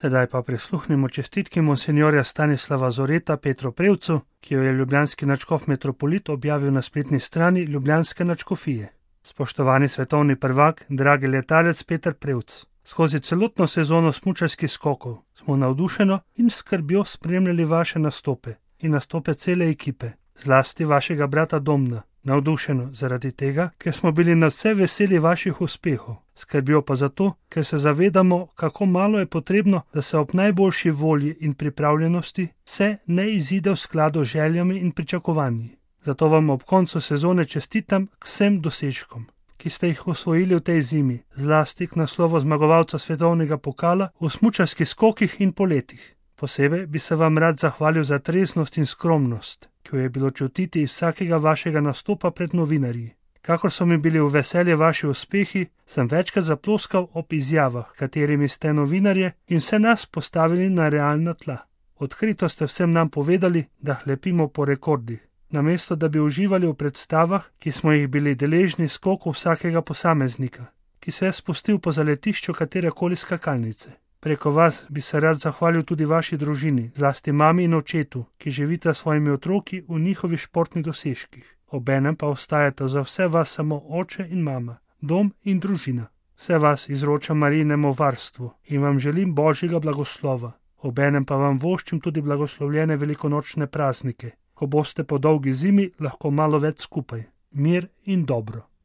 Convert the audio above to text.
Sedaj pa prisluhnimo čestitki monsinjorja Stanislava Zoreta Petru Prevcu, ki jo je ljubljanski nadškof metropolit objavil na spletni strani ljubljanske nadškofije. Spoštovani svetovni prvak, dragi letalec Peter Prevc, skozi celotno sezono smučarskih skokov smo navdušeno in skrbjo spremljali vaše nastope in nastope cele ekipe, zlasti vašega brata Domna. Navdušeno zaradi tega, ker smo bili nadvse veseli vaših uspehov, skrbjo pa zato, ker se zavedamo, kako malo je potrebno, da se ob najboljši volji in pripravljenosti vse ne izide v skladu z željami in pričakovanji. Zato vam ob koncu sezone čestitam k vsem dosežkom, ki ste jih osvojili v tej zimi, zlasti k naslovu zmagovalca svetovnega pokala v smučarskih skokih in poletih. Posebej bi se vam rad zahvalil za treznost in skromnost, ki jo je bilo čutiti iz vsakega vašega nastopa pred novinarji. Kakor so mi bili v veselje vaši uspehi, sem večkrat zaploskal ob izjavah, katerimi ste novinarje in vse nas postavili na realna tla. Odkrito ste vsem nam povedali, da hlepimo po rekordih, namesto da bi uživali v predstavah, ki smo jih bili deležni skoku vsakega posameznika, ki se je spustil po zaletišču katerekoli skakalnice. Preko vas bi se rad zahvalil tudi vaši družini, zlasti mami in očetu, ki živita s svojimi otroki v njihovih športnih dosežkih. Obenem pa ostajata za vse vas samo oče in mama, dom in družina. Vse vas izročam Marijinemu varstvu in vam želim Božjega blagoslova. Obenem pa vam voščim tudi blagoslovljene velikonočne praznike, ko boste po dolgi zimi lahko malo več skupaj. Mir in dobro.